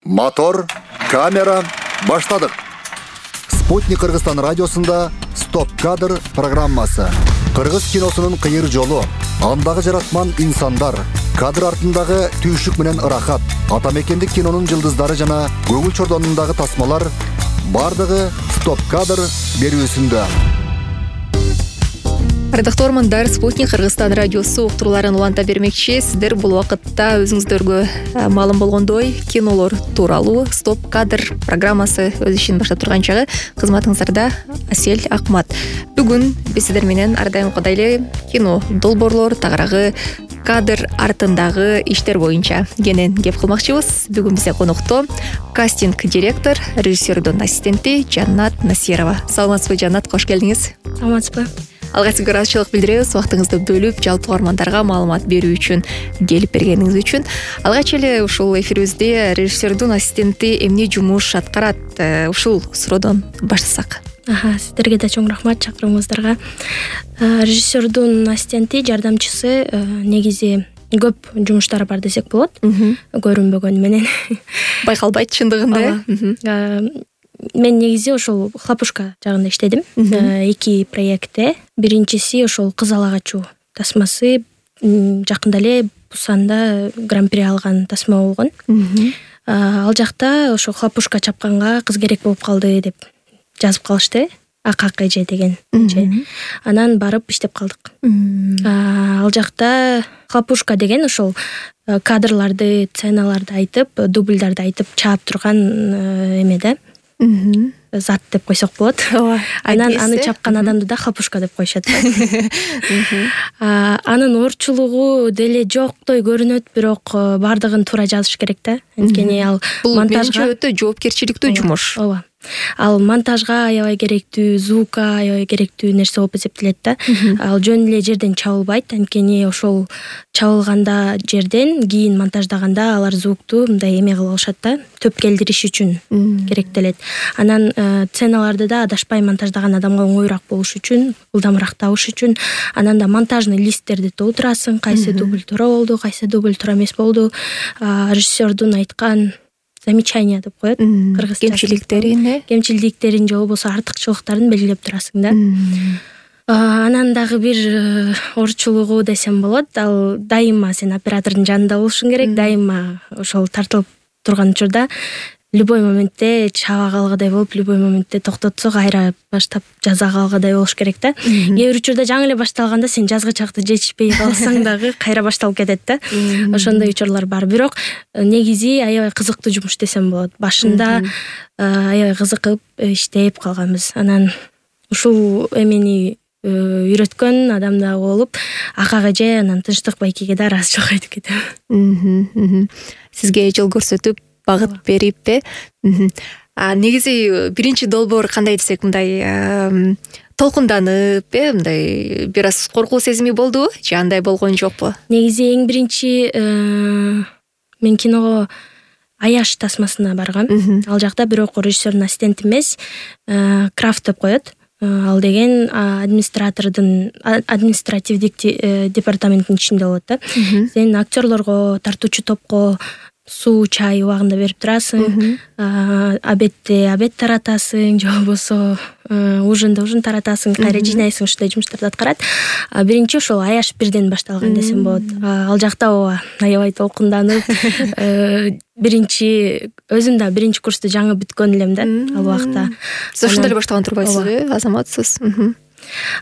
Мотор, камера, баштадык. Спутник Кыргызстан радиосунда Стоп кадр программасы. Кыргыз киносунун кыйыр жолу, андагы жаратман инсандар, кадр артындагы түйшүк менен ырахат, атамекендик кинонун жылдыздары жана көңүл чордонундагы тасмалар бардыгы Стоп кадр берүүсүндө. Ардактуу угармандар, Спутник Кыргызстан радиосу уктурууларын уланта бермекчи. Сиздер бул убакытта өзүңүздөргө маалым болгондой кинолор тууралуу Стоп кадр программасы өз ишин баштап турган чагы кызматыңыздарда Асель Акмат. Бүгүн биз сиздер менен ар дайымкыдай эле кино долбоорлор, тагыраагы кадр артындагы иштер боюнча кенен кеп кылмакчыбыз. Бүгүн бизде конокто кастинг директор, режиссердун ассистенти Жаннат Насирова. Саламатсызбы, Жаннат? Кош келдиңиз. Саламатсызбы. Алга сизге ыраазычылык билдиребиз, убактыңызды бөлүп жалпы угармандарга маалымат берүү үчүн, келип бергениңиз үчүн. Алгач эле ушул эфирибизде режиссердун ассистенти эмне жумуш аткарат? Ушул суроодон баштасак. Сиздерге да чоң рахмат чакырууңуздарга. Режиссердун ассистенти, жардамчысы негизи көп жумуштары бар десек болот. Көрүнбөгөнү менен. Байкалбайт чындыгында. Мен негизи ошол Хлопушка жагында иштедим. 2 проектте. Биринчиси ошол Кыз ала качуу тасмасы, жакында эле Пусанда гран-при алган тасма болгон. Ал жакта ошо Хлопушка чапканга кыз керек болуп калды деп жазып калышты. АККЖ деген. Анан барып иштеп калдык. Ал жакта Хлопушка деген ошол кадрларды, сценаларды айтып, дубльдарды айтып чаап турган эме да. Зат деп койсок болот. Анан аны чапкан адамды да Хлопушка деп коюшат. Анын оорчулугу деле жоктой көрүнөт, бирок бардыгын туура жазыш керек да. Анткени ал монтажга өтө жоопкерчиликтүү жумуш. Ооба. Ал монтажга аябай керектүү, звукка аябай керектүү нерсе болуп эсептелет да. Ал жөн эле жерден чабылбайт, анткени ошол чабылганда жерден кийин монтаждаганда алар звукту мындай эме кылып алышат да, төп келдириш үчүн керектелет. Анан сценаларды да адашпай монтаждаган адамга оңоюраак болуш үчүн, ылдамыраак табыш үчүн, анан да монтажный листтерди толтурасың, кайсы дубль туура болду, кайсы дубль туура эмес болду. Режиссердун айткан замечание деп коет кыргызча. Кемчилдиктерин же болбосо артыкчылыктарын белгилеп турасың да. Анан дагы бир оорчулугу десем болот, ал дайыма сен оператордун жанында болушуң керек, дайыма ошол тартылып турган учурда любой моментте чаба калгыдай болуп, любой моментте токтотсо кайра баштап жаза калгыдай болуш керек да. Кээ бир учурда жаңы эле башталганда сен жазгычакты жетишпей калсаң дагы кайра башталып кетет да. Ошондой учурлар бар. Бирок негизи аябай кызыктуу жумуш десем болот. Башында аябай кызыгып иштеп калганбыз. Анан ушул эмени үйрөткөн адам дагы болуп, АККЖ анан Тынчтык байкеге да ыраазычылык айтып кетем. Сизге жол көрсөтүп, багыт бериппи? Негизи биринчи долбоор кандай десек, мындай толкунданып, мындай бир аз коркуу сезими болдубу же андай болгон жокпу? Негизи эң биринчи мен киного Аяш тасмасына баргам. Ал жакта бирок режиссердун ассистенти эмес, Крафт деп коет. Ал деген административдик департаменттин ичинде болот да. Сен актерлорго, тартуучу топко суу, чай убагында берип турасың, обедте обед таратасың, же болбосо ужин таратасың, кайра жыйнайсың, ушундай жумуштарды аткарат. Биринчи ошол Аяш бирден башталган десем болот. Ал жакта аябай толкунданып, биринчи өзүм да биринчи курсту жаңы бүткөн элем да ал убакта. Сиз ошондо эле баштаган турбайсызбы? Азаматсыз.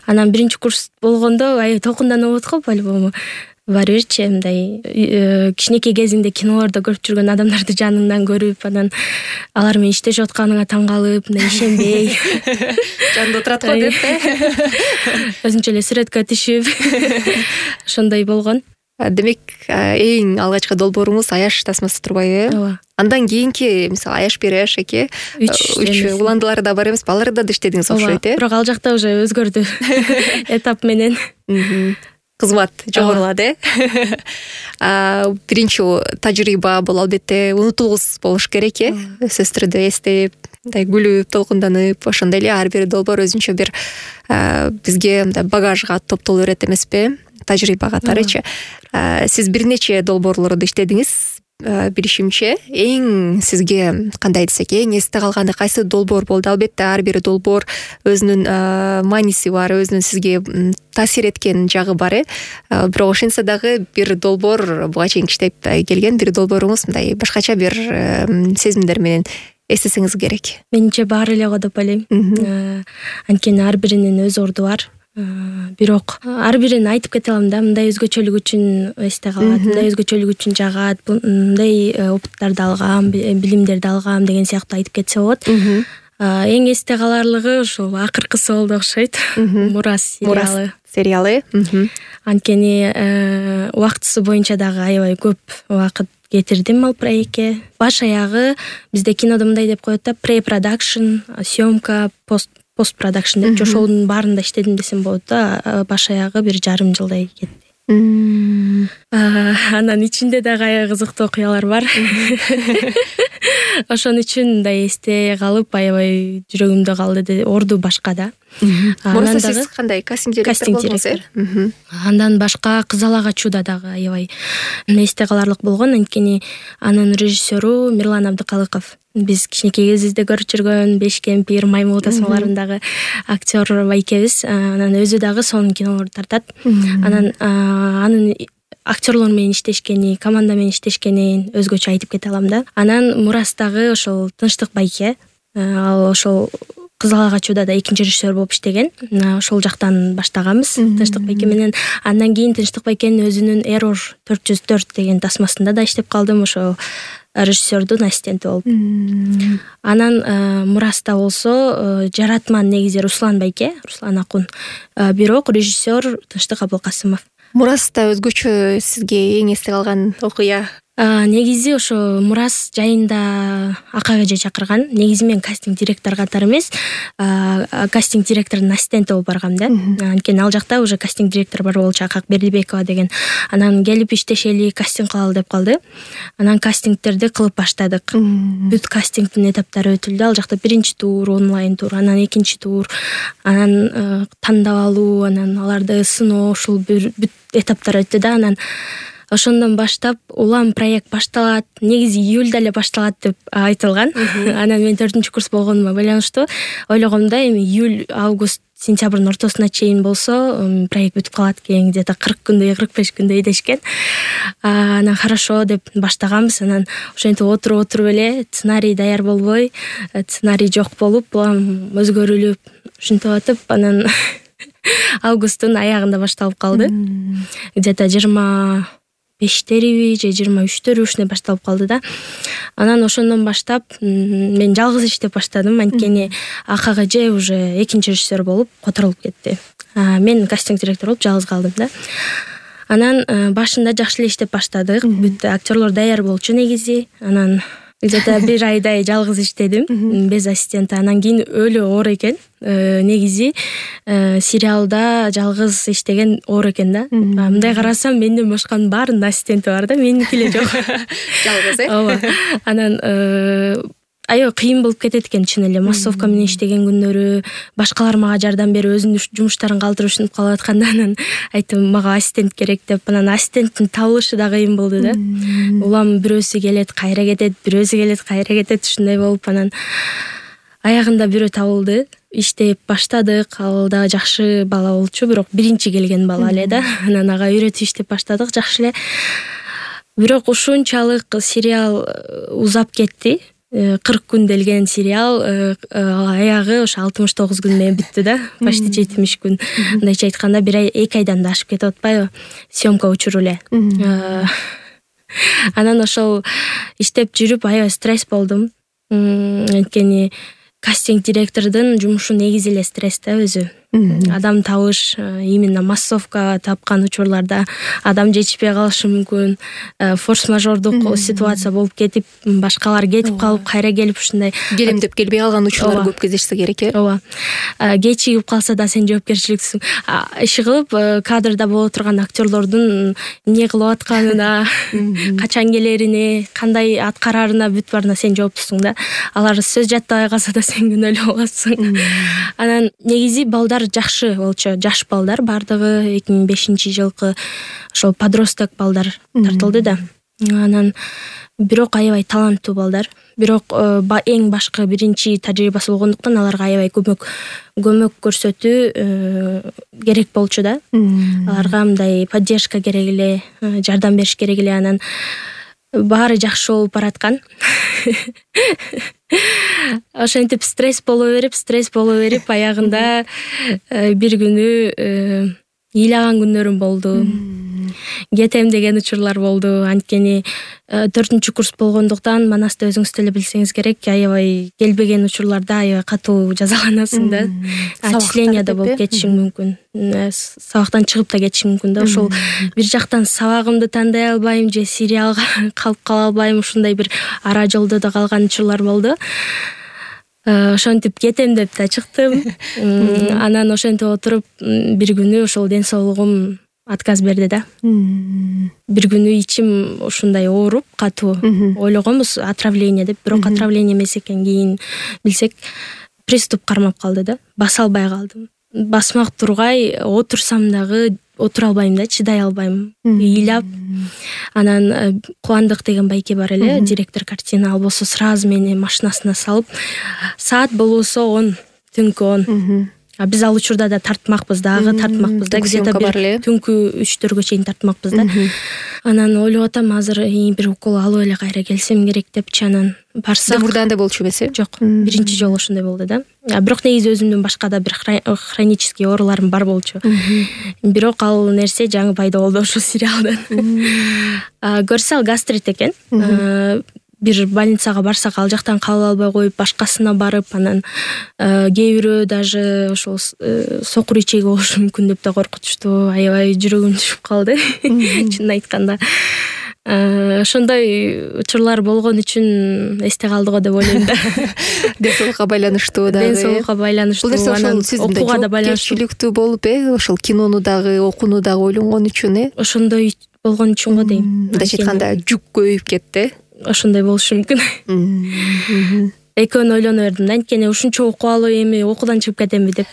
Анан биринчи курс болгондо аябай толкунданып атып калып, албому баары бирчи мындай кичинекей кезиңде кинолордо көрүп жүргөн адамдарды жаныңдан көрүп, анан алар менен иштешип атканыңа таң калып, мындай ишенбей жанында отурат го деп өзүнчө эле сүрөткө түшүп ошондой болгон. Демек, эң алгачкы долбооруңуз Аяш тасмасы турбайбы? Ооба. Андан кийинки, мисалы Аяш 1, Аяш 2, 3 уландылары да бар эмес, аларда да иштедиңиз окшойт, Бирок ал жакта уже өзгөрдү этап менен. Кызмат жогорулады. Биринчи тажрыйба бул албетте унутулгус болуш керек, сөзсүз түрдө эстеп, мындай күлүп, толкунданып, ошондой эле ар бир долбоор өзүнчө бир бизге мындай багажга топтолуп берет эмеспи? Тажрыйба катарычы. Сиз бир нече долбоорлордо иштедиңиз. билишимче эң сизге кандай десек эң эсте калганы кайсы долбоор болду? Албетте ар бир долбоор өзүнүн мааниси бар, өзүнүн сизге таасир эткен жагы бар, бирок ошентсе дагы бир долбоор буга чейин иштеп келген бир долбооруңуз мындай башкача бир сезимдер менен эстесеңиз керек. Менимче баары эле го деп ойлойм. Анткени ар биринин өз орду бар. Бирок ар бирин айтып кете алам да, мындай өзгөчөлүк үчүн эсте калат, мындай өзгөчөлүк үчүн жагат, мындай опыттарды алгам, билимдерди алгам деген сыяктуу айтып кетсе болот. Эң эсте каларлыгы ушул акыркысы болду окшойт. Мурас сериалы. Анткени убактысы боюнча дагы аябай көп убакыт кетирдим ал проектке. Баш аягы бизде кинодо мындай деп коет да, pre-production, съемка, post-production деп ошонун баарында иштедим десем болот да. Баш аягы 1,5 жылдай кетти. Анан ичинде дагы аябай кызыктуу окуялар бар. Ошон үчүн мындай эсте калып, аябай жүрөгүмдө калды. Орду башка да. Мураса сиз кандай кастинг директор? Андан башка Кызал Чуда дагы аябай эсте каларлык болгон. Анткени анын режиссеру Мирлан Абдыкалыков. Биз кичинекей кезибизде көрүп жүргөн Беш кемпир, Маймыл тасмаларындагы актер байкебиз. Анан өзү дагы сонун кинолорду тартат. Анан анын актерлор менен иштешкени, команда менен иштешкенин өзгөчө айтып кете алам да. Анан Мурастагы ошол Тынчтык байке, ал ошол Кызал Чудада экинчи режиссер болуп иштеген. Ошол жактан баштаганбыз Тынчтык байке менен. Андан кийин Тынчтык байкенин өзүнүн Error 404 деген тасмасында да иштеп калдым, ошо режиссердун ассистенти болуп. Анан Мураста болсо жаратман негизи Руслан байке, Руслан Акун. Бирок режиссер Тынчтык Абылкасымов. Мураста өзгөчө сизге эң эсте калган окуя? Негизи ошо Мурас жайында Акак эже чакырган. Негизи мен кастинг директор катары эмес, кастинг директордун ассистенти болуп баргам да. Анткени ал жакта уже кастинг директор бар болчу, Акак Бердибекова деген. Анан келип иштешели, кастинг кылалы деп калды. Анан кастингтерди кылып баштадык. Бүт кастингдин этаптары өтүлдү. Ал жакта биринчи тур, онлайн тур, анан экинчи тур, анан тандап алуу, анан аларды сыноо, ушул бүт этаптар өттү да. Анан ошондон баштап улам проект башталат. Негизи июльда эле башталат деп айтылган. Анан мен 4-курс курс болгонума байланыштуу ойлогом да, эми июль, август, сентябрдын ортосуна чейин болсо проект бүтүп калат экен, где-то 40 күндөй, 45 күндөй дешкен. Анан хорошо деп баштаганбыз. Анан ошентип отуруп эле сценарий даяр болбой, сценарий жок болуп, улам өзгөрүлүп, ушинтип атып, анан августтун аягында башталып калды. Где-то 25-териби же 23-төрү ушундай башталып калды да. Анан ошондон баштап мен жалгыз иштеп баштадым, анткени Акак эже уже экинчи режиссер болуп которулуп кетти. Мен кастинг директор болуп жалгыз калдым да. Анан башында жакшы эле иштеп баштадык. Бүт актерлор даяр болчу негизи. Анан где-то 1 айдай жалгыз иштедим, без ассистента. Анан кийин өлө оор экен. Негизи сериалда жалгыз иштеген оор экен да. Мындай карасам менден башканын баарынын ассистенти бар да, меники эле жок. Жалгыз, Ооба. Анан аябай кыйын болуп кетет экен чын эле. Массовка менен иштеген күндөрү башкалар мага жардам берип өзүнүн жумуштарын калтырып ушинтип калып атканда анан айттым мага ассистент керек деп. Анан ассистенттин табылышы да кыйын болду да. Улам бирөөсү келет, кайра кетет, бирөөсү келет, кайра кетет, ушундай болуп анан аягында бирөө табылды. Иштеп баштадык. Ал да жакшы бала болчу, бирок биринчи келген бала эле да. Анан ага үйрөтүп иштеп баштадык жакшы эле. Бирок ушунчалык сериал узап кетти. 40 күн делген сериал аягы ошо 69 күн менен бүттү да. Почти 70 күн. Мындайча айтканда 2 айдан да ашып кетип атпайбы? Съемка учуру эле. Анан ошол иштеп жүрүп аябай стресс болдум. Анткени кастинг директордун жумушу негизи эле стресс да өзү. Адам табыш, именно массовка тапкан учурларда адам жетишпей калышы мүмкүн, форс-мажордук ситуация болуп кетип, башкалар кетип калып, кайра келип ушундай келемдеп келбей калган учурлар көп кездешсе керек э. Ооба. Кечигип калса да сен жоопкерчиликсиң. Иши кылып кадрда боло турган актерлордун эмне кылып атканына, качан келерине, кандай аткарарына бүт баарына сен жооптусуң да. Алар сөз жаттабай калса да сен күнөөлүү болосуң. Анан негизи балдар жакшы болчу, жаш балдар бардыгы 2005-жылкы ошол подросток балдар тартылды да. Анан бирок аябай таланттуу балдар. Бирок эң башкы биринчи тажрыйбасы болгондуктан аларга аябай көмөк көрсөтүү керек болчу да. Аларга мындай поддержка керек эле, жардам бериш керек эле. Анан баары жакшы болуп бараткан. Ошентип стресс боло берип аягында бир күнү ыйлаган күннөрүм болду. Кетем деген учурлар болду. Анткени 4-курс болгондуктан Манаста өзүңүз деле билсеңиз керек, аябай келбеген учурларда аябай катуу жазаланасың да. Отчисление да болуп кетишиң мүмкүн. Сабактан чыгып да кетишиң мүмкүн да. Ошол бир жактан сабагымды тандай албайм же сериалга калып кала албайм, ушундай бир ара жолдо да калган учурлар болду. Ошентип кетем деп да чыктым. Анан ошентип отуруп бир күнү ошол ден соолугум отказ берди да. Бир күнү ичим ушундай ооруп катуу. Ойлогонбуз отравление деп, бирок отравление эмес экен. Кийин билсек приступ кармап калды да. Баса албай калдым. Басмак тургай отурсам дагы отура албайм да, чыдай албайм. Ыйлап. Анан Кубандык деген байке бар эле, директор картина, ал болсо сразу мени машинасына салып, саат болбосо 10, түнкү 10. Биз ал учурда да тартмакпыз да, где-то бир түнкү 3-4гө чейин тартмакпыз да. Анан ойлоп атам, азыр бир укол алып эле кайра келсем керек депчи. Анан барсак. Мурда андай болчу эмес? Жок, биринчи жолу ошондой болду да. Бирок негизи өзүмдүн башка да бир хронический ооруларым бар болчу. Бирок ал нерсе жаңы пайда болду ошол сериалдан. Көрсө ал гастрит экен. Бир больницага барсак, ал жактан кабыл албай коюп, башкасына барып, анан кээ бирөө даже ошол сокур ичеги болушу мүмкүн деп да коркутушту. Аябай жүрөгүм түшүп калды, чынын айтканда. Ошондой учурлар болгон үчүн эсте калды го деп ойлойм да. Ден соолукка байланыштуу дагы. Ден соолукка байланыштуу. Бул нерсе ошол окууга да байланыштуу. Жоопкерчиликтүү болуп, ошол кинону дагы, окууну дагы ойлонгон үчүн, ошондой болгон үчүн го дейм. Мындайча айтканда жүк көбөйүп кетти. Ошондой болушу мүмкүн. Экөөнү ойлоно бердим да, анткени ушунча окуп алып эми окуудан чыгып кетемби деп.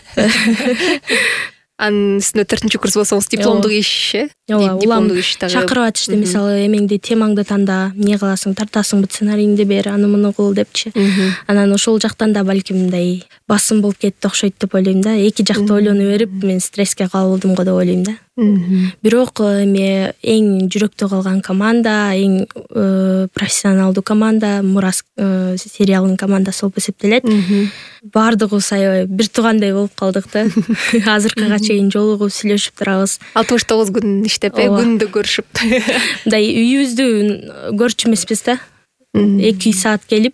Анын үстүнө 4-курс болсоңуз дипломдук иш, дипломдук иш дагы чакырып атышты. Мисалы, эмеңди, темаңды танда, эмне кыласың, тартасыңбы, сценарийиңди бер, аны муну кыл депчи. Анан ошол жактан да балким мындай басым болуп кетти окшойт деп ойлойм да. Эки жакты ойлоно берип, мен стресске кабылдым го деп ойлойм да. Бирок эми эң жүрөктө калган команда, эң профессионалдуу команда Мурас сериалынын командасы болуп эсептелет. Баардыгыбыз аябай бир туугандай болуп калдык да. Азыркыга чейин жолугуп сүйлөшүп турабыз. 69 күн иштеп, күндө көрүшүп. Мындай үйүбүздү көрчү эмеспиз да. 2 саат келип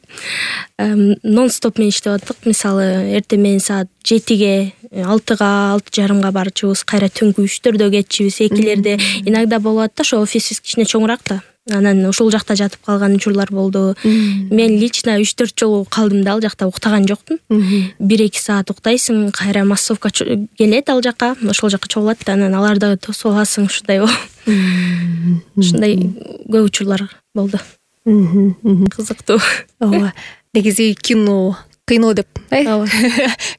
нон-стоп менен иштеп аттык. Мисалы, эртең менен саат 7-ге, 6-га, 6:30-га барчубуз, кайра түнкү 3-4дө кетчүбүз. Экилерде иногда болот да, ошо офисибиз кичине чоңураак да. Анан ошол жакта жатып калган учурлар болду. Мен лично 3-4 жолу калдым да, ал жакта уктаган жокмун. 1-2 саат уктайсың, кайра массовка келет ал жака, ошол жака чогулат да, анан аларды тосуп аласың, ушундай болуп. Ушундай көп учурлар болду. Кызыктуу. Ооба. Негизи кино деп,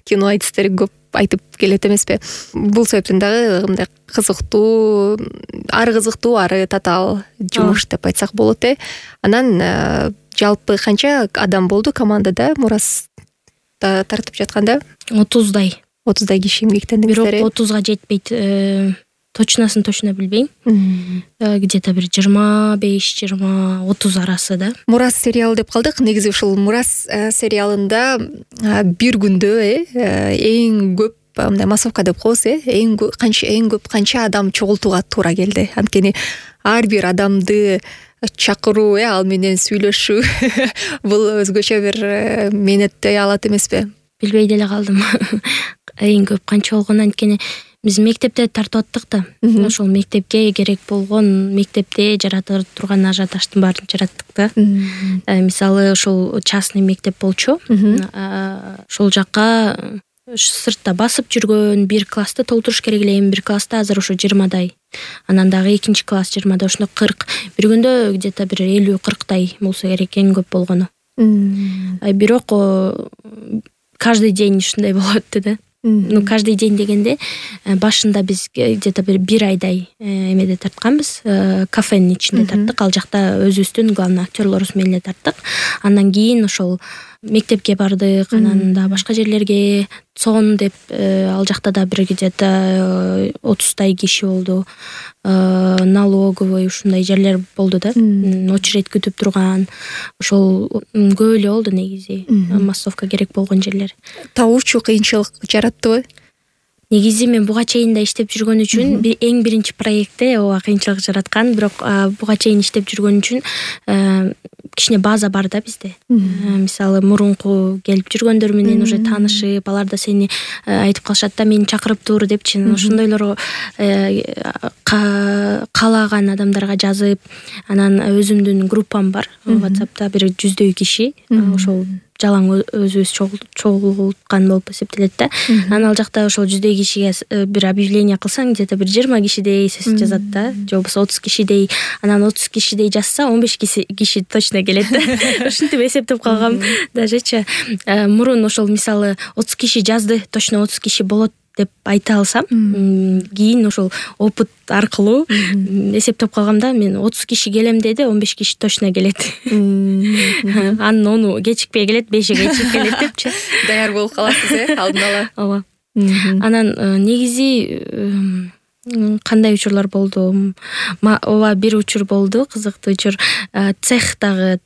кино айтыстары көп айтып келет эмеспи? Бул себептен дагы мындай кызыктуу, ары татаал жумуш деп айтсак болот. Анан жалпы канча адам болду командада Мурас тартып жатканда? 30 киши эмгектендиңиздер. Бирок 30-га жетпейт. Точносын билбейм. Где-то бир 25-30 арасы да. Мурас сериалы деп калдык. Негизи ушул Мурас сериалында бир күндө эң көп мындай массовка деп коебуз, эң көп канча адам чогултууга туура келди. Анткени ар бир адамды чакыруу, ал менен сүйлөшүү бул өзгөчө бир мээнетти алат эмеспи? Билбей деле калдым. Эң көп канча болгон, анткени биз мектепте тартып аттык да. Ошол мектепке керек болгон, мектепте жарата турган ажиотаждын баарын жараттык да. Мисалы, ошол частный мектеп болчу. Ошол жакка сыртта басып жүргөн, бир классты толтуруш керек эле. Эми бир класста азыр ошо 20дай. Анан дагы экинчи класс 20да, ошондо 40. Бир күндө где-то бир 50-40дай болсо керек, эң көп болгону. Бирок каждый день ушундай болуп атты да. Каждый день дегенде башында биз где-то бир айдай эмеде тартканбыз, кафенин ичинде тарттык. Ал жакта өзүбүздүн главный актерлорубуз менен эле тарттык. Андан кийин ошол мектепке бардык, анан да башка жерлерге, ЦОН деп ал жакта да бир где-то 30 киши болду. Налоговый ушундай жерлер болду да. Очередь күтүп турган. Ошол көп эле болду негизи. Массовка керек болгон жерлер. Табуучу кыйынчылык жараттыбы? Негизи мен буга чейин да иштеп жүргөн үчүн эң биринчи проектте ооба кыйынчылык жараткан, бирок буга чейин иштеп жүргөн үчүн кичине база бар да бизде. Мисалы мурунку келип жүргөндөр менен уже таанышып, алар да сени айтып калышат да, мени чакырып тур депчи. Ошондойлорго каалаган адамдарга жазып, анан өзүмдүн группам бар WhatsApp'та, бир 100 киши, ошол жалаң өзүбүз чогулткан болуп эсептелет да. Анан ал жакта ошол 100 кишиге бир объявление кылсаң, где-то бир 20 кишидей жазат да, же болбосо 30 кишидей. Анан 30 кишидей жазса, 15 киши точно келет да. Ушинтип эсептеп калгам дажечи. Мурун ошол мисалы 30 киши жазды, точно 30 киши болот деп айта алсам, кийин ошол опыт аркылуу эсептеп калгам да, мен 30 киши келем деди, 15 киши точно келет. Анын 10 кечикпей келет, 5 кечип келет депчи. Даяр болуп каласыз, алдын ала. Ооба. Анан негизи кандай учурлар болду? Ооба, бир учур болду, кызыктуу учур. Цехте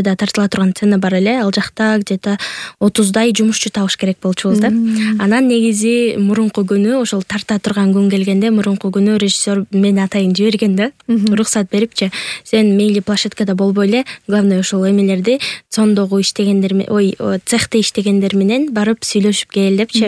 да тартыла турган цена бар эле. Ал жакта где-то 30 жумушчу табыш керек болчубуз да. Анан негизи мурунку күнү, ошол тарта турган күн келгенде, мурунку күнү режиссер мени атайын жиберген да. Уруксат берипчи. Сен мейли площадкада болбой эле, главное ошол эмелерди цондогу иштегендер, цехте иштегендер менен барып сүйлөшүп кел депчи.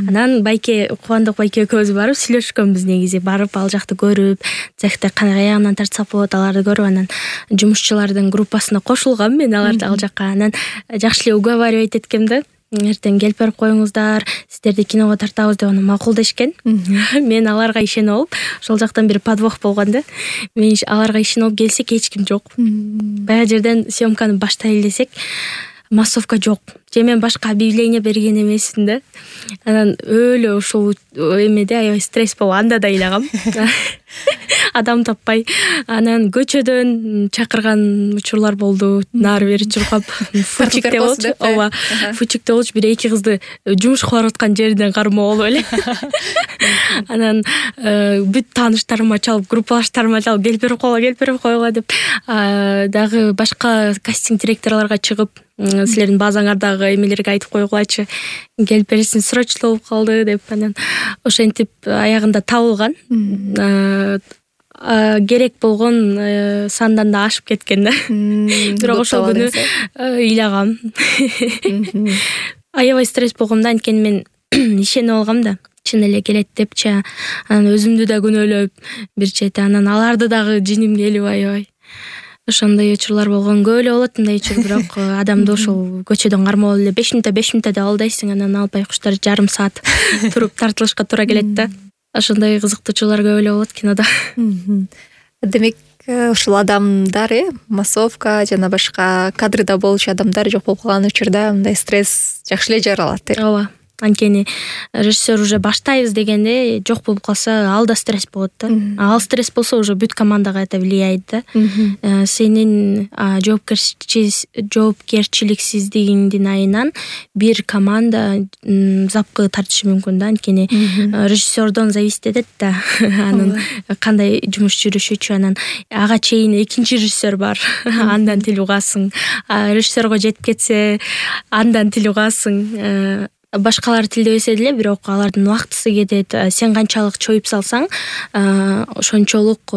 Анан Байке, Кубандык Байке экөөбүз барып сүйлөшкөнбүз негизи. Барып ал жакты көрүп, цехте каягынан тартсак болот, аларды көрүп, анан жумушчулардын группасына кошулгам мен ал жакка. Анан жакшы эле уговаривать эткем да. Эртең келип берип коюңуздар, сиздерди киного тартабыз деп анан макул дешкен. Мен аларга ишенип алып, ошол жактан бир подвох болгон да. Мен аларга ишенип алып келсек, эч ким жок. Баягы жерден съемканы баштайлы десек, массовка жок. Же мен башка объявление берген эмесмин да. Анан өлө ошол эмеде аябай стресс болуп, анда да ыйлагам. Адам таппай. Анан көчөдөн чакырган учурлар болду. Нары бери чуркап, фучик деп болчу. Ооба, фучик деп болчу. Бир эки кызды жумуш кылып аткан жеринен кармоо болуп эле. Анан бүт тааныштарыма чалып, группалаштарыма чалып, келип берип койгула деп, дагы башка кастинг директорлорго чыгып, силердин базаңардагы эмелерге айтып койгулачы, келип бересиң, срочно болуп калды деп. Анан ошентип аягында табылган. Керек болгон сандан да ашып кеткен да. Бирок ошол күнү ыйлагам. Аябай стресс болгом да, анткени мен ишенип алгам да. Чын эле келет депчи. Анан өзүмдү да күнөөлөп бир чети, анан аларды дагы жиним келип аябай. Ошондой учурлар болгон, көп эле болот мындай учур, бирок адамды ошол көчөдөн кармоо эле 5 мүнөттө деп алдайсың, анан албай куштар жарым саат туруп тартылышка туура келет да. Ошондой кызыктуу учурлар көп эле болот кинодо. Демек, ушул адамдар, массовка жана башка кадрда болчу адамдар жок болуп калган учурда мындай стресс жакшы эле жаралат. Ооба. Анткени режиссер уже баштайбыз дегенде жок болуп калса, ал да стресс болот да. Ал стресс болсо уже бүт командага это влияет да. Сенин жоопкерчиликсиздигиңдин айынан бир команда запкы тартышы мүмкүн да. Анткени режиссердон зависит этет да. Анын кандай жумуш жүрүшүчү, анан ага чейин экинчи режиссер бар. Андан тил угасың. Режиссерго жетип кетсе, андан тил угасың. Башкалар тилдебесе деле, бирок алардын убактысы кетет. Сен канчалык чоюп салсаң, ошончолук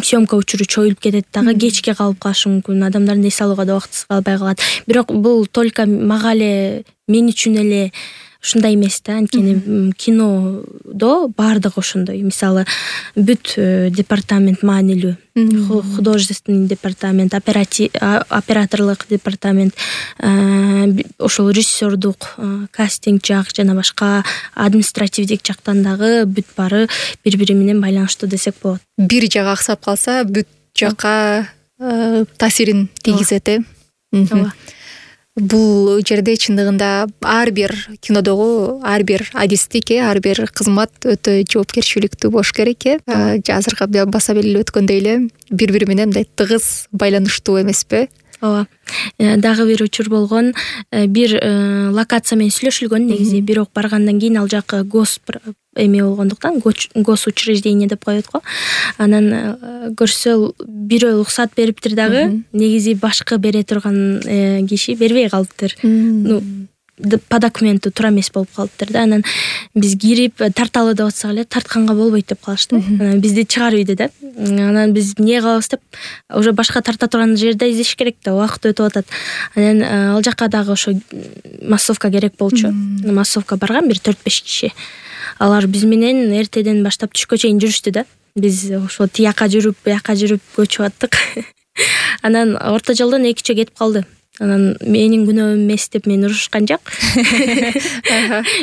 съемка учуру чоюлуп кетет дагы, кечке калып калышы мүмкүн. Адамдардын эс алууга да убактысы калбай калат. Бирок бул только мага эле, мен үчүн эле ушундай эмес да. Анткени кинодо баардыгы ошондой. Мисалы, бүт департамент маанилүү, художественный департамент, операторлук департамент, ошол режиссердук, кастинг жак жана башка административдик жактан дагы бүт баары бири-бири менен байланыштуу десек болот. Бир жагы аксап калса, бүт жакка таасирин тийгизет. бул жерде чындыгында ар бир кинодогу ар бир адистик ар бир кызмат өтө жоопкерчиликтүү болуш керек азыркы баса белгилеп өткөндөй эле бири бири менен мындай тыгыз байланыштуу эмеспи? ооба. Дагы бир учур болгон, бир локация менен сүйлөшүлгөн негизи, бирок баргандан кийин ал жак эме болгондуктан госучреждение деп коет го. Анан көрсө бирөө уруксат бериптир дагы, негизи башкы бере турган киши бербей калыптыр. По документу туура эмес болуп калыптыр да. Анан биз кирип тарталы деп атсак эле тартканга болбойт деп калышты. Бизди чыгар үйдө да. Анан биз эмне кылабыз деп уже башка тарта турган жерде издеш керек да, убакыт өтүп атат. Анан ал жака дагы ошо массовка керек болчу. Массовка барган бир 4-5 киши. Алар биз менен эртеден баштап түшкө чейин жүрүштү да. Биз ошо тияка жүрүп, буяка жүрүп көчүп аттык. Анан орто жолдон 2 киши кетип калды. Анан менин күнөөм эмес деп мени урушкан жок.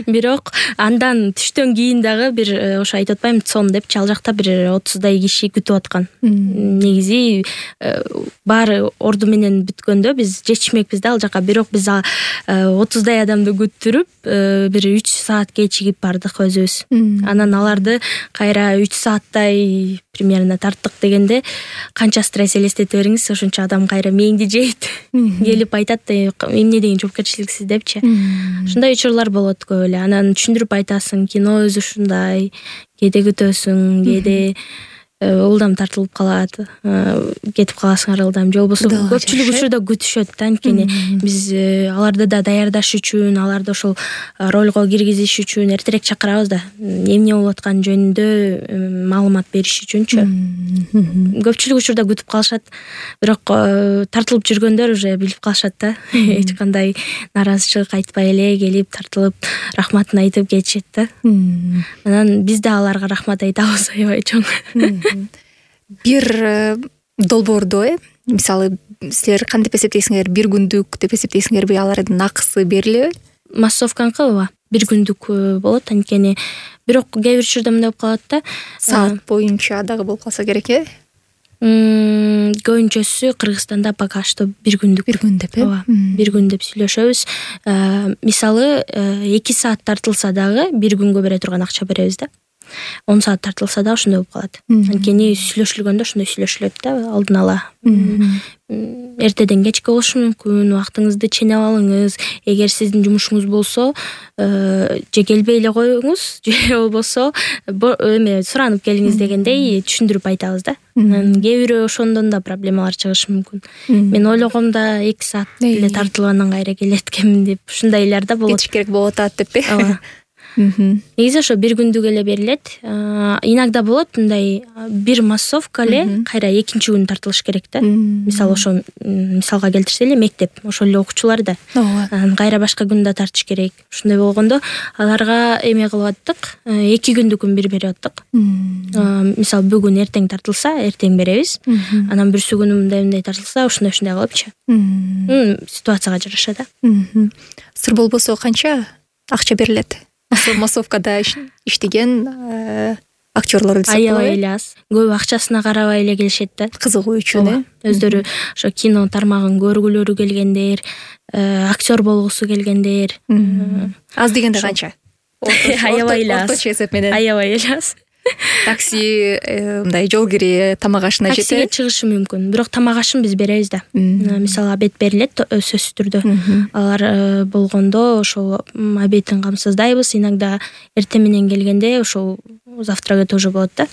Бирок андан түштөн кийин дагы бир ошо айтып атпайм, сон депчи, ал жакта бир 30дай киши күтүп аткан. Негизи баары орду менен бүткөндө биз жетишмекпиз да ал жака, бирок биз 30дай адамды күттүрүп бир 3 саат кечигип бардык өзүбүз. Анан аларды кайра 3 сааттай примерно тарттык дегенде канча стресс элестете бериңиз, ошончо адам кайра мээңди жейт. Келип айтат эмне деген жоопкерчиликсиз депчи. Ушундай учурлар болот көп эле. Анан түшүндүрүп айтасың, кино өзү ушундай, кээде күтөсүң, кээде ылдам тартылып калат, кетип каласың ылдам, же болбосо көпчүлүк учурда күтүшөт да, анткени биз аларды да даярдаш үчүн, аларды ошол ролго киргизиш үчүн эртерээк чакырабыз да, эмне болуп атканы жөнүндө маалымат бериш үчүнчү. Көпчүлүк учурда күтүп калышат, бирок тартылып жүргөндөр уже билип калышат да, эч кандай наразычылык айтпай эле келип тартылып рахматын айтып кетишет да. Анан биз да аларга рахмат айтабыз аябай чоң. Бир долбоордо мисалы силер кантип эсептейсиңер, бир күндүк деп эсептейсиңерби, алардын акысы берилеби? Массовканыкы ооба, бир күндүк болот, анткени бирок кээ бир учурда мындай болуп калат да, саат боюнча дагы болуп калса керек көбүнчөсү Кыргызстанда пока что бир күндүк. Бир күн деп ооба, бир күн деп сүйлөшөбүз. Мисалы 2 саат тартылса дагы бир күнгө бере турган акча беребиз да. 10 саат тартылса да ошондой болуп калат. Анткени сүйлөшүлгөндө ошондой сүйлөшүлөт да, алдын ала. Эртеден кечке болушу мүмкүн, убактыңызды ченеп алыңыз. Эгер сиздин жумушуңуз болсо, же келбей эле коюңуз, же болбосо эме суранып келиңиз дегендей түшүндүрүп айтабыз да. Кээ бирөө ошондон да проблемалар чыгышы мүмкүн. Мен ойлогом да 2 саат эле тартылгандан кайра келет экенмин деп, ушундайлар да болот. Кетиш керек болуп атат деппи? Ооба. Негизи ошо бир күндүк эле берилет. Иногда болот мындай бир массовка эле кайра экинчи күн тартылыш керек да. Мисалы ошо мисалга келтирсе эле мектеп, ошол эле окуучулар да. Кайра башка күндө тартыш керек. Ушундай болгондо аларга эме кылып аттык, 2 күндүкүн бир берип аттык. Мисалы бүгүн эртең тартылса, эртең беребиз. Анан бүрсү күнү мындай тартылса, ошондой кылыпчы. Ситуацияга жараша да. Сыр болбосо канча акча берилет? Массовкада иштеген актерлор десек болобу? Аябай эле аз. Көп акчасына карабай эле келишет да. Кызыгуу үчүн. Өздөрү ошо кино тармагын көргүлөрү келгендер, актер болгусу келгендер. Аз дегенде канча? Аябай эле аз. Орточо эсеп менен. Аябай эле аз. Такси, мындай жол кири, тамак ашына жетет. Таксиге чыгышы мүмкүн, бирок тамак ашын биз беребиз да. Мисалы обед берилет сөзсүз түрдө. Алар болгондо ошол обедин камсыздайбыз. Иногда эртең менен келгенде ошол завтрагы тоже болот да.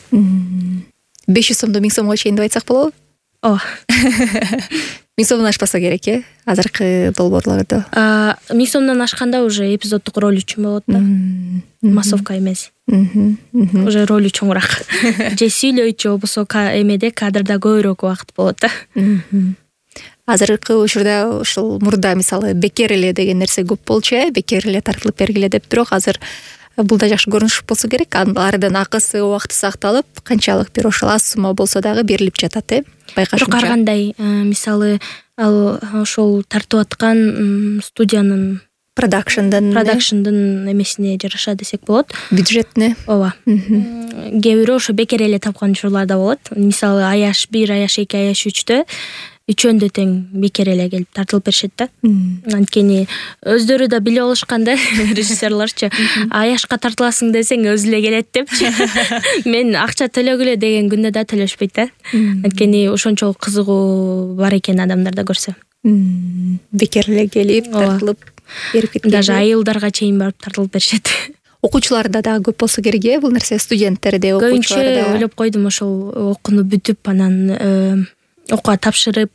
500 сомду 1000 сомго чейин деп айтсак болобу? Ооба. 1000 сомдон ашпаса керек, азыркы долбоорлордо. 1000 сомдон ашканда уже эпизоддук роль үчүн болот да. Массовка эмес. Уже роль чоңураак. Же сүйлөйт, же болбосо эмеде кадрда көбүрөөк убакыт болот да. Азыркы учурда ушул мурда мисалы бекер эле деген нерсе көп болчу, бекер эле тартылып бергиле деп, бирок азыр бул да жакшы көрүнүш болсо керек. Алардын акысы, убакыты сакталып, канчалык бир ошол аз сумма болсо дагы берилип жатат, байкашымча. Бирок ар кандай, мисалы ал ошол тартып аткан студиянын продакшндын эмесине жараша десек болот. Бюджетине. Ооба. Кээ бирөө ошо бекер эле тапкан учурлар да болот. Мисалы аяш 1, аяш 2, аяш 3тө үчөөндө тең бекер эле келип тартылып беришет да. Анткени өздөрү да билип алышкан да режиссерлорчу. Аяшка тартыласың десең өзү эле келет депчи. Мен акча төлөгүлө деген күндө да төлөшпөйт да. Анткени ошончолук кызыгуу бар экен адамдарда көрсө. Бекер эле келип тартылып берип кеткен. Даже айылдарга чейин барып тартылып беришет. Окуучуларда дагы көп болсо керек бул нерсе, студенттерде, окуучуларда. Көбүнчө ойлоп койдум ошол окууну бүтүп анан окууга тапшырып,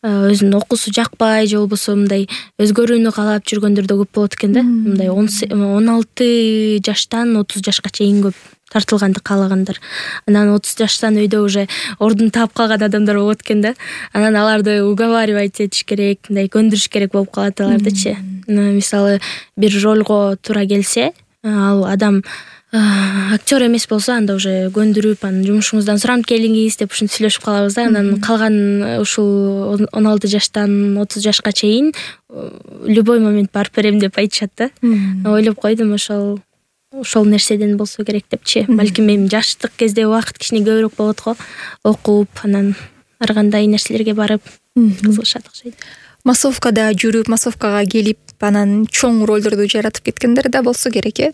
өзүнүн окуусу жакпай же болбосо мындай өзгөрүүнү каалап жүргөндөр да көп болот экен да. Мындай 16 жаштан 30 жашка чейин көп тартылганды каалагандар. Анан 30 жаштан өйдө уже ордун таап калган адамдар болот экен да. Анан аларды уговаривать этиш керек, мындай көндүрүш керек болуп калат алардычы. Мисалы бир ролго туура келсе, ал адам актер эмес болсо, анда уже көндүрүп, анан жумушуңуздан суранып келиңиз деп ушинтип сүйлөшүп калабыз да. Анан калган ушул 16 жаштан 30 жашка чейин любой момент барып берем деп айтышат да. Ойлоп койдум ошол нерседен болсо керек депчи. Балким эми жаштык кезде убакыт кичине көбүрөөк болот го. Окуп, анан ар кандай нерселерге барып кызыгышат окшойт. Массовкада жүрүп, массовкага келип, анан чоң ролдорду жаратып кеткендер да болсо керек, э?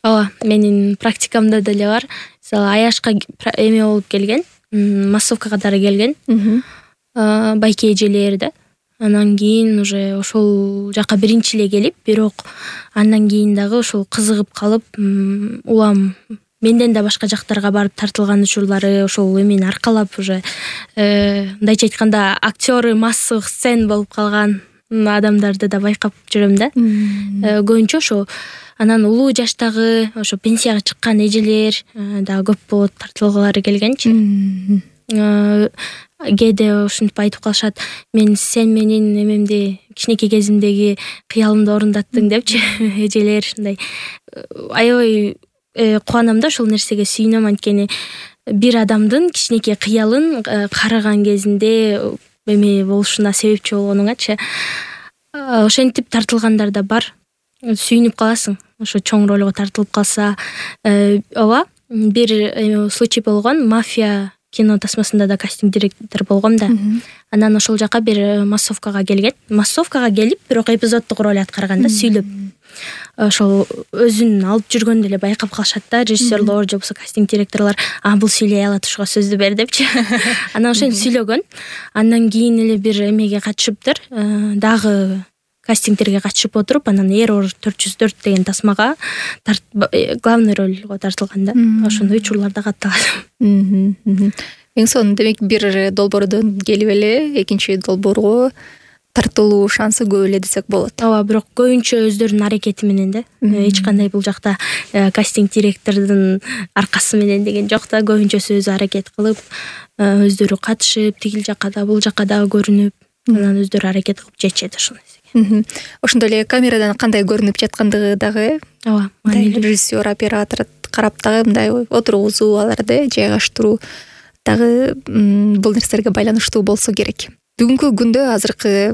Ооба, менин практикамда деле бар. Мисалы Аяшка эме болуп келген, массовка катары келген. Байке эжелер да. Анан кийин уже ошол жака биринчи эле келип, бирок андан кийин дагы ошол кызыгып калып, улам менден да башка жактарга барып тартылган учурлары, ошол эмени аркалап уже мындайча айтканда актеры массовых сцен болуп калган адамдарды да байкап жүрөм да. Көбүнчө ошо анан улуу жаштагы ошо пенсияга чыккан эжелер дагы көп болот тартылгылары келгенчи. Кээде ушинтип айтып калышат: "Мен сен менин эмемди, кичинекей кезимдеги кыялымды орундаттың" депчи эжелер. Мындай аябай кубанам да ошол нерсеге, сүйүнөм, анткени бир адамдын кичинекей кыялын караган кезинде эме болушуна себепчи болгонуңачы. Ошентип тартылгандар да бар. Сүйүнүп каласың ошо чоң ролго тартылып калса. Ооба, бир случай болгон. Мафия кино тасмасында да кастинг директор болгом да. Анан ошол жака бир массовкага келген. Массовкага келип, бирок эпизоддук роль аткарган да, сүйлөп. Ошол өзүн алып жүргөндө эле байкап калышат да режиссерлор же болбосо кастинг директорлор: бул сүйлөй алат, ушуга сөздү бер" депчи. Анан ошентип сүйлөгөн. Андан кийин эле бир эмеге катышыптыр. Дагы кастингтерге катышып отуруп, анан Error 404 деген тасмага главный рольго тартылган да. Ошондой учурлар да катталган. Эң сонун, демек бир долбоордон келип эле экинчи долбоорго тартылуу шансы көп эле десек болот. Ооба, бирок көбүнчө өздөрүнүн аракети менен да. Эч кандай бул жакта кастинг директордун аркасы менен деген жок да. Көбүнчөсү өзү аракет кылып, өздөрү катышып, тигил жака да, бул жака да көрүнүп, анан өздөрү аракет кылып жетишет ошол нерсеге. Ошондой эле камерадан кандай көрүнүп жаткандыгы дагы, ооба, режиссер, оператор карап дагы мындай отургузуу, аларды жайгаштыруу дагы бул нерселерге байланыштуу болсо керек. Бүгүнкү күндө азыркы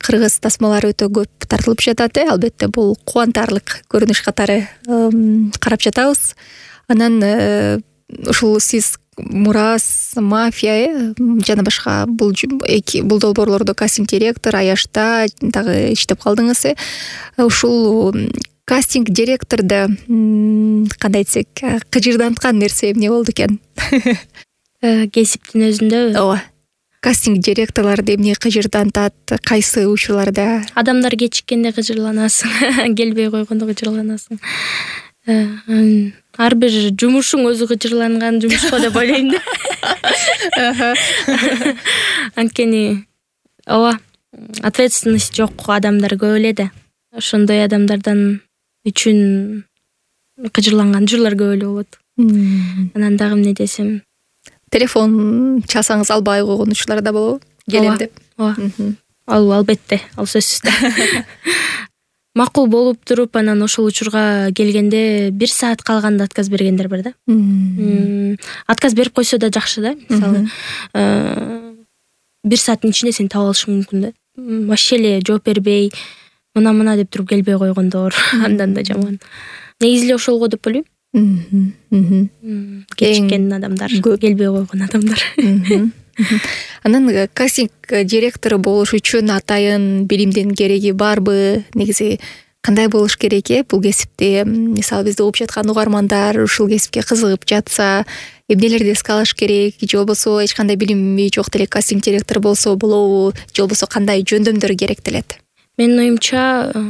кыргыз тасмалары өтө көп тартылып жатат. Албетте бул кубантарлык көрүнүш катары карап жатабыз. Анан ушул сиз Мурас, Мафия жана башка бул долбоорлордо кастинг директор, Аяшта дагы иштеп калдыңыз. Ушул кастинг директордо кандай десек, кыжырданткан нерсе эмне болду экен? Кесиптин өзүндө. Ооба. Кастинг директорлорду эмне кыжырдантат? Кайсы учурларда? Адамдар кечиккенде кыжырланасың, келбей койгондо кыжырланасың. Ар бир жумушуң өзү кыжырланган жумуш го деп ойлойм да. Анткени ооба, ответственность жок адамдар көп эле да. Ошондой адамдардан үчүн кыжырланган учурлар көп эле болот. Анан дагы эмне десем, телефон чалсаңыз албай койгон учурлар да болобу? Келем деп. Ооба. Ал албетте, ал сөзсүз да. Макул болуп туруп, анан ошол учурга келгенде 1 саат калганда отказ бергендер бар да. Отказ берип койсо да жакшы да. Мисалы 1 сааттын ичинде сени таап алышың мүмкүн да. Вообще эле жооп бербей, мына деп туруп келбей койгондор андан да жаман. Негизи эле ошолго деп ойлойм. Кечиккен адамдар, келбей койгон адамдар. Анан кастинг директору болуш үчүн атайын билимдин кереги барбы? Негизи кандай болуш керек бул кесипте? Мисалы бизди угуп жаткан угармандар ушул кесипке кызыгып жатса, эмнелерди эске алыш керек, же болбосо эч кандай билими жок деле кастинг директор болсо болобу, же болбосо кандай жөндөмдөр керектелет? Менин оюмча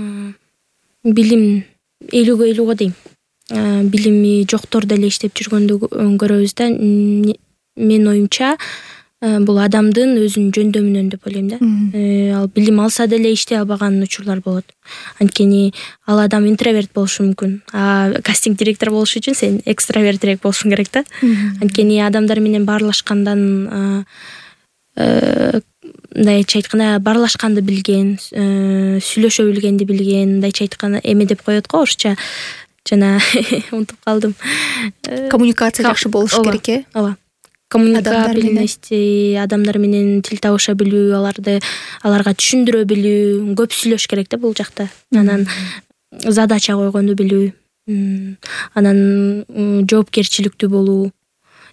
билим 50-50 дейм. Билими жоктор деле иштеп жүргөндү көрөбүз да. Менин оюмча бул адамдын өзүнүн жөндөмүнөн деп ойлойм да. Ал билим алса деле иштей албаган учурлар болот. Анткени ал адам интроверт болушу мүмкүн. Кастинг директор болуш үчүн сен экстравертирээк болушуң керек да. Анткени адамдар менен баарлашкандан мындайча айтканда баарлашканды билген, сүйлөшө билгенди билген, мындайча айтканда эме деп коет го орусча, жана унутуп калдым. Коммуникация жакшы болуш керек ооба. Коммуникабельность, адамдар менен тил табыша билүү, аларга түшүндүрө билүү, көп сүйлөш керек да бул жакта. Анан задача койгонду билүү, анан жоопкерчиликтүү болуу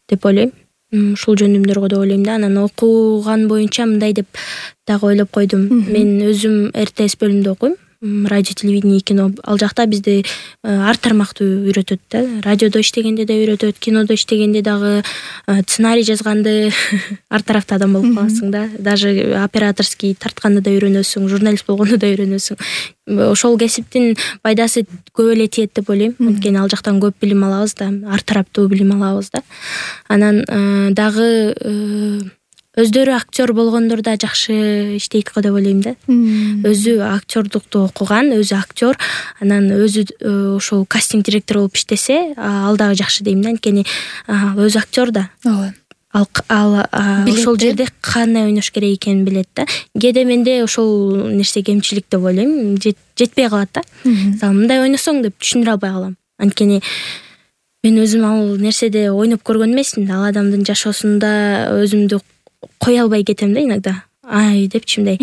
деп ойлойм. Ушул жөндөмдөргө деп ойлойм да. Анан окуган боюнча мындай деп дагы ойлоп койдум. Мен өзүм РТС бөлүмүндө окуйм. Радио, телевидение, кино. Ал жакта бизди ар тармактуу үйрөтөт да. Радиодо иштегенде да үйрөтөт, кинодо иштегенде дагы, сценарий жазганды ар тарафта адам болуп каласың да. Даже операторский тартканды да үйрөнөсүң, журналист болгонду да үйрөнөсүң. Ошол кесиптин пайдасы көп эле тиет деп ойлойм. Анткени ал жактан көп билим алабыз да, ар тараптуу билим алабыз да. Анан дагы өздөрү актер болгондор да жакшы иштейт го деп ойлойм да. Өзү актердукту окуган, өзү актер, анан өзү ошол кастинг директор болуп иштесе, ал дагы жакшы дейм да. Анткени өзү актер да. Ооба. Ал ошол жерде кандай ойнош керек экенин билет да. Кээде менде ошол нерсе кемчилик деп ойлойм, жетпей калат да. Мисалы мындай ойносоң деп түшүндүрө албай калам. Анткени мен өзүм ал нерседе ойноп көргөн эмесмин да. Ал адамдын жашоосунда өзүмдү кое албай кетем да иногда. Депчи мындай.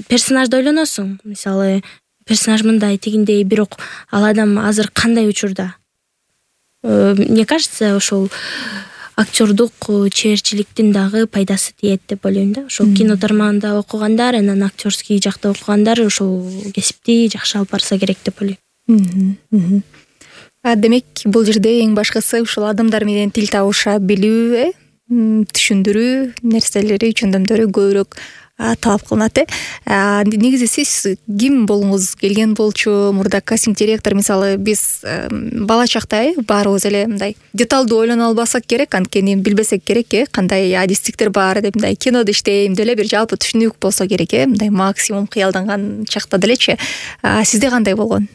Персонажды ойлоносуң. Мисалы, персонаж мындай, тигиндей, бирок ал адам азыр кандай учурда? Мне кажется, ошол актердук чеберчиликтин дагы пайдасы тиет деп ойлойм да. Ошол кино тармагында окугандар, анан актерский жакта окугандар ошол кесипти жакшы алып барса керек деп ойлойм. Демек, бул жерде эң башкысы ушул адамдар менен тил табыша билүү, түшүндүрүү нерселери, жөндөмдөрү көбүрөөк талап кылынат. Негизи сиз ким болгуңуз келген болчу? Мурда кастинг директор, мисалы, биз бала чакта баарыбыз эле мындай деталдуу ойлоно албасак керек, анткени билбесек керек, кандай адистиктер бар деп, мындай кинодо иштейм деле бир жалпы түшүнүк болсо керек, мындай максимум кыялданган чакта делечи. Сизде кандай болгон?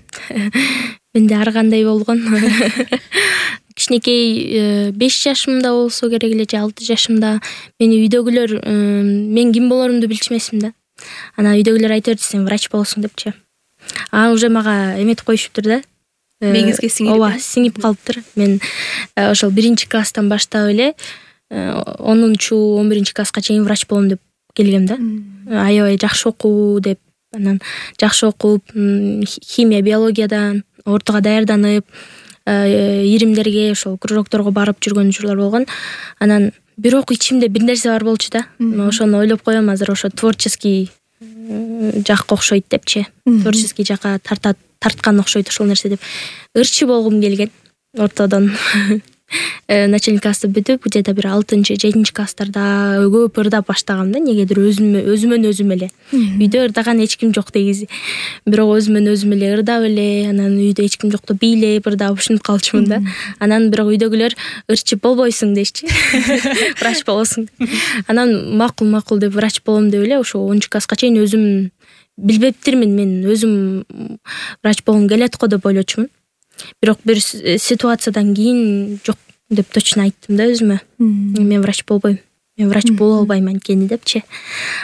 Менде ар кандай болгон. Кичинекей 5 жашымда болсо керек эле, же 6 жашымда мени үйдөгүлөр мен ким болорумду билчүмесмин да. Анан үйдөгүлөр айта берди, сен врач болосуң депчи. Уже мага эметип коюшуптур да. Меңизге сиңип. Ооба, сиңип калыптыр. Мен ошол 1-класстан баштап эле 10-11 класска чейин врач болом деп келгем да. Аябай жакшы окуу деп, анан жакшы окуп, химия, биологиядан ортого даярданып, иримдерге, ошол кружокторго барып жүргөн учурлар болгон. Анан бирок ичимде бир нерсе бар болчу да. Ошону ойлоп коем, азыр ошо творческий жакка окшойт депчи. Творческий жакка тарткан окшойт ошол нерсе деп. Ырчы болгум келген ортодон. Начальник классты бүтүп, где-то бир 6-7 класстарда көп ырдап баштагам да, негедир өзүмөн өзүм эле. Үйдө ырдаган эч ким жок дегизи. Бирок өзүмөн өзүм эле ырдап эле, анан үйдө эч ким жокто бийлеп ырдап ушинтип калчумун да. Анан бирок үйдөгүлөр ырчып болбойсуң дешчи. Врач болосуң. Анан макул деп врач болом деп эле ошо 10 класска чейин өзүм билбептирмин, мен өзүм врач болгум келет го деп ойлочумун. Бирок бир ситуациядан кийин жок деп точно айттым да өзүмө. Мен врач болбойм. Мен врач боло албайм анткени депчи.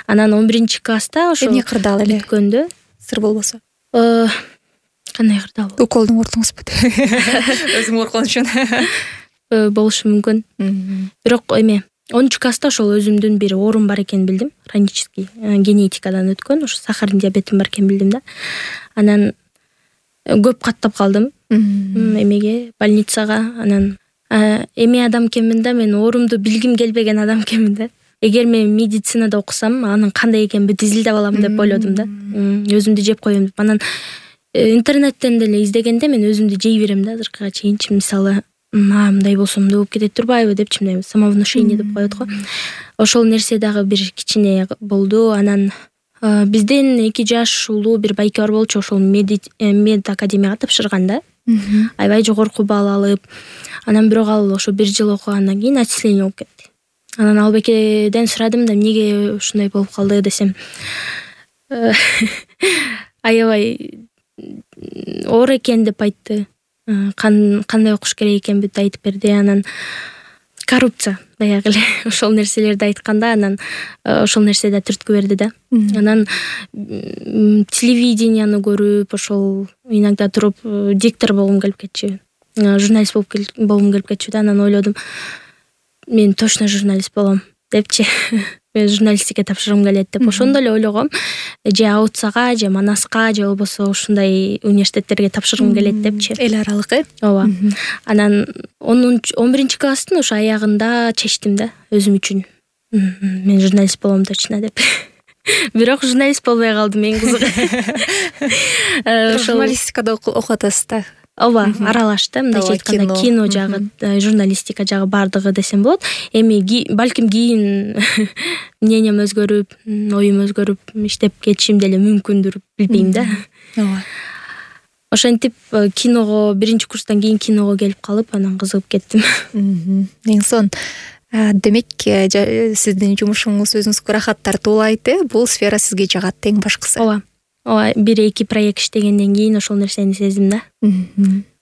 Анан 11 класста ошо эмне кырдаал эле бүткөндө, сыр болбосо. Кандай кырдаал? Уколдун ортуңузбу? Өзүң коркон үчүн. Болушу мүмкүн. Бирок эме 10 класста ошол өзүмдүн бир оорум бар экенин билдим. Хронический генетикадан өткөн, ошо сахарный диабетим бар экенин билдим да. Анан көп каттап калдым. Эмеге, больницага. Анан эме адам экенмин да, мен оорумду билгим келбеген адам экенмин да. эгер мен медицинада окусам анын кандай экенин бүт изилдеп алам деп ойлодум да. Өзүмдү жеп коем деп. Анан интернеттен деле издегенде мен өзүмдү жей берем да азыркыга чейинчи. Мисалы мындай болсо мындай болуп кетет турбайбы депчи, мындай самовнушение деп коет го. Ошол нерсе дагы бир кичине болду. Анан бизден 2 жаш улуу бир байке бар болчу, ошол мед академияга тапшырган да. Аябай жогорку балл алып, анан бирок ал ошо 1 жыл окугандан кийин отчисление болуп кетти. Анан ал байкеден сурадым да, эмнеге ушундай болуп калды десем, аябай оор экен деп айтты. Кандай окуш керек экенин бүт айтып берди. Анан коррупция баягы эле ошол нерселерди айтканда, анан ошол нерсе да түрткү берди да. Анан телевиденияны көрүп, ошол иногда туруп диктор болгум келип кетчү, журналист болгум келип кетчү да. Анан ойлодум, мен точно журналист болом депчи. Мен журналистикке тапшыргым келет деп. Ошондо эле ойлогом, же АУЦага, же Манаска, же болбосо ушундай университеттерге тапшыргым келет депчи. Эл аралык, Ооба. Анан 11-класстын ошо аягында чечтим да өзүм үчүн. Мен журналист болом точно деп. Бирок журналист болбой калдым, эң кызыгы. Журналистикада окуп атасыз да. Ооба, аралаш да, мындайча айтканда кино жагы, журналистика жагы бардыгы десем болот. Эми балким кийин мнением өзгөрүп, оюм өзгөрүп, иштеп кетишим деле мүмкүндүр, билбейм да. Ооба. Ошентип киного 1-курстан кийин киного келип калып, анан кызыгып кеттим. Эң сон. Демек, сиздин жумушуңуз өзүңүзгө рахат тартуулайт, бул сфера сизге жагат эң башкысы. Ооба. 1-2 проект иштегенден кийин ошол нерсени сездим да.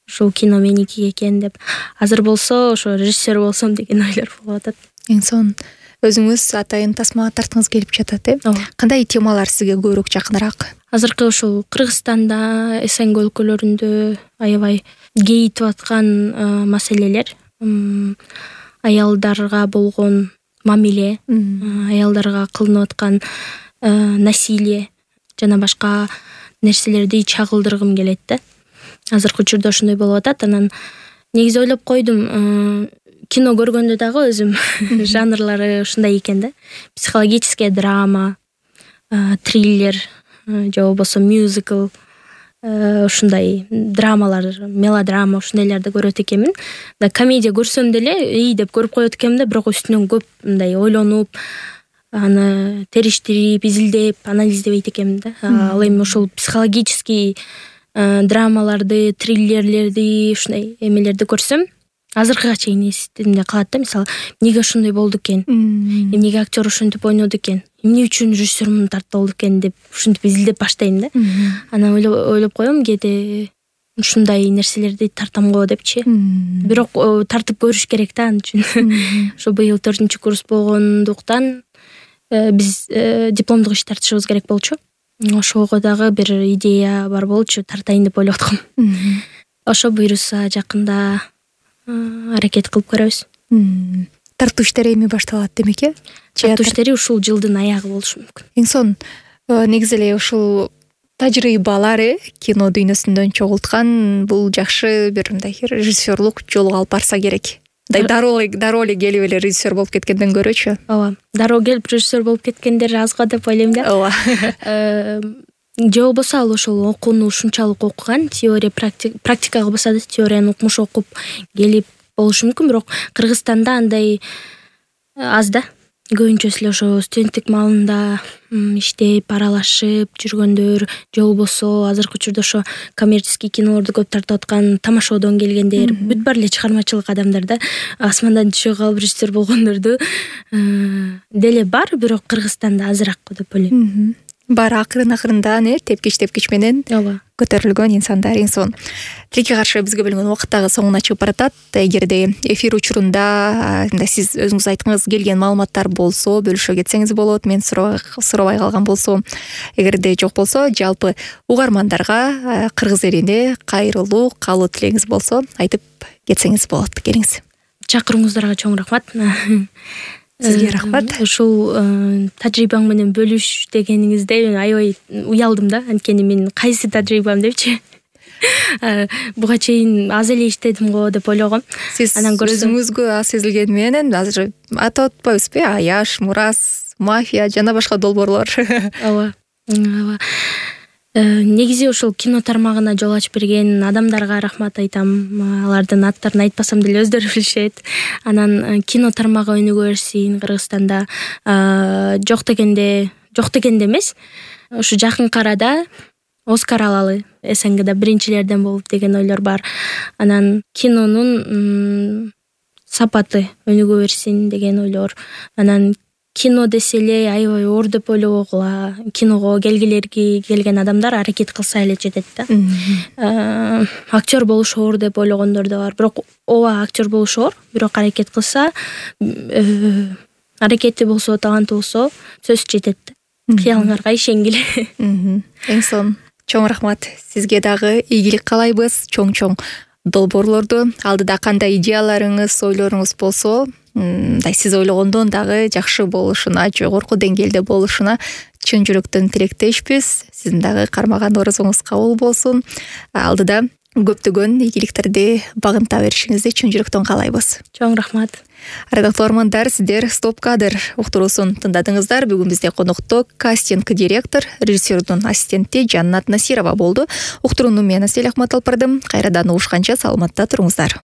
Ушул кино меники экен деп. Азыр болсо ошо режиссер болсом деген ойлор болуп атат. Эң сон. Өзүңүз атайын тасмага тарткыңыз келип жатат, Кандай темалар сизге көбүрөөк жакыныраак? Азыркы ушул Кыргызстанда, СНГ өлкөлөрүндө аябай кейитип аткан маселелер, аялдарга болгон мамиле, аялдарга кылынып аткан насилие жана башка нерселерди чагылдыргым келет да. Азыркы учурда ошондой болуп атат. Анан негизи ойлоп койдум, кино көргөндө дагы өзүм жанрлары ушундай экен да. Психологическая драма, триллер, же болбосо мюзикл, ушундай драмалар, мелодрама, ушундайларды көрөт экенмин. Да комедия көрсөм деле деп көрүп коет экенмин да, бирок үстүнөн көп мындай ойлонуп, аны териштирип, изилдеп, анализдебейт экенмин да. Ал эми ошол психологический драмаларды, триллерлерди, ушундай эмелерди көрсөм, азыркыга чейин эсимде калат да. Мисалы, эмнеге ошондой болду экен? Эмнеге актер ошентип ойноду экен? Эмне үчүн режиссер муну тартып алды экен деп ушинтип изилдеп баштайм да. Анан ойлоп коем, кээде ушундай нерселерди тартам го депчи. Бирок тартып көрүш керек да ан үчүн. Ошо быйыл 4-курс болгондуктан биз дипломдук иш тартышыбыз керек болчу. Ошого дагы бир идея бар болчу, тартайын деп ойлоп аткам. Ошо буйруса жакында аракет кылып көрөбүз. Тартуу иштери эми башталат демек, Тартуу иштери ушул жылдын аягы болушу мүмкүн. Эң сон, негизи эле ушул тажрыйбалар кино дүйнөсүндөн чогулткан бул жакшы бир мындай режиссерлук жолго алып барса керек. Дароо эле келип эле режиссер болуп кеткенден көрөчү. Ооба. Дароо келип режиссер болуп кеткендер аз го деп ойлойм да. Ооба. Же болбосо ал ошол окууну ушунчалык окуган, теория практикага болсо да теорияны укмуш окуп келип болушу мүмкүн, бирок Кыргызстанда андай аз да. Көбүнчөсү эле ошо студенттик маалында иштеп, аралашып жүргөндөр, же болбосо азыркы учурда ошо коммерческий кинолорду көп тартып аткан, тамашоодон келгендер, бүт бар эле чыгармачылык адамдар да. Асмандан түшө калып режиссер болгондорду деле бар, бирок Кыргызстанда азыраак деп ойлойм. Баары акырын-акырындан тепкич менен көтөрүлгөн инсандар. Эң сон. Тилекке каршы бизге бөлүнгөн убакыт дагы соңуна чыгып баратат. Эгерде эфир учурунда сиз өзүңүз айткыңыз келген маалыматтар болсо, бөлүшө кетсеңиз болот. Мен сурабай калган болсо, эгерде жок болсо, жалпы угармандарга кыргыз элине кайрылуу, каалоо тилегиңиз болсо, айтып кетсеңиз болот. Келиңиз. Чакыруңуздарга чоң рахмат. Сизге рахмат. Ушул тажрыйбаң менен бөлүш дегениңизде мен аябай уялдым да. Анткени мен кайсы тажрыйбам депчи. Буга чейин аз эле иштедим го деп ойлогом. Сиз Анан көрсөм өзүңүзгө аз сезилгени менен азыр атап атпайбызбы? Аяш, Мурас, Мафия жана башка долбоорлор. ооба. Негизи ушул кино тармагына жол ачып берген адамдарга рахмат айтам. Алардын аттарын айтпасам деле өздөрү билишет. Анан кино тармагы өнүгө берсин Кыргызстанда. Жок дегенде эмес. Ушу жакынкы арада Оскар алалы, СНГда биринчилерден болуп деген ойлор бар. Анан кинонун сапаты өнүгө берсин деген ойлор. Анан кино десе эле аябай оор деп ойлобогула. Киного келген адамдар аракет кылса эле жетет да. Актер болуш оор деп ойлогондор да бар. Бирок ооба актер болуш оор, бирок аракет кылса, аракети болсо, таланты болсо сөзсүз жетет. Кыялыңарга ишенгиле. Эң сонун. Чоң рахмат. Сизге дагы ийгилик каалайбыз. Чоң долбоорлорду алдыда кандай идеяларыңыз, ойлоруңуз болсо, мындай сиз ойлогондон дагы жакшы болушуна, жогорку деңгээлде болушуна чын жүрөктөн тилектешпиз. Сиздин дагы кармаган орозоңуз кабыл болсун. Алдыда көптөгөн ийгиликтерди багынта беришиңизди чын жүрөктөн каалайбыз. Чоң рахмат. Ардактуу угармандар, сиздер Стоп кадр уктуруусун тыңдадыңыздар. Бүгүн бизде конокто кастинг директор, режиссердун ассистенти Жаннат Насирова болду. Уктурууну мен Асель Ахмат алып бардым. Кайрадан угушканча саламатта туруңуздар.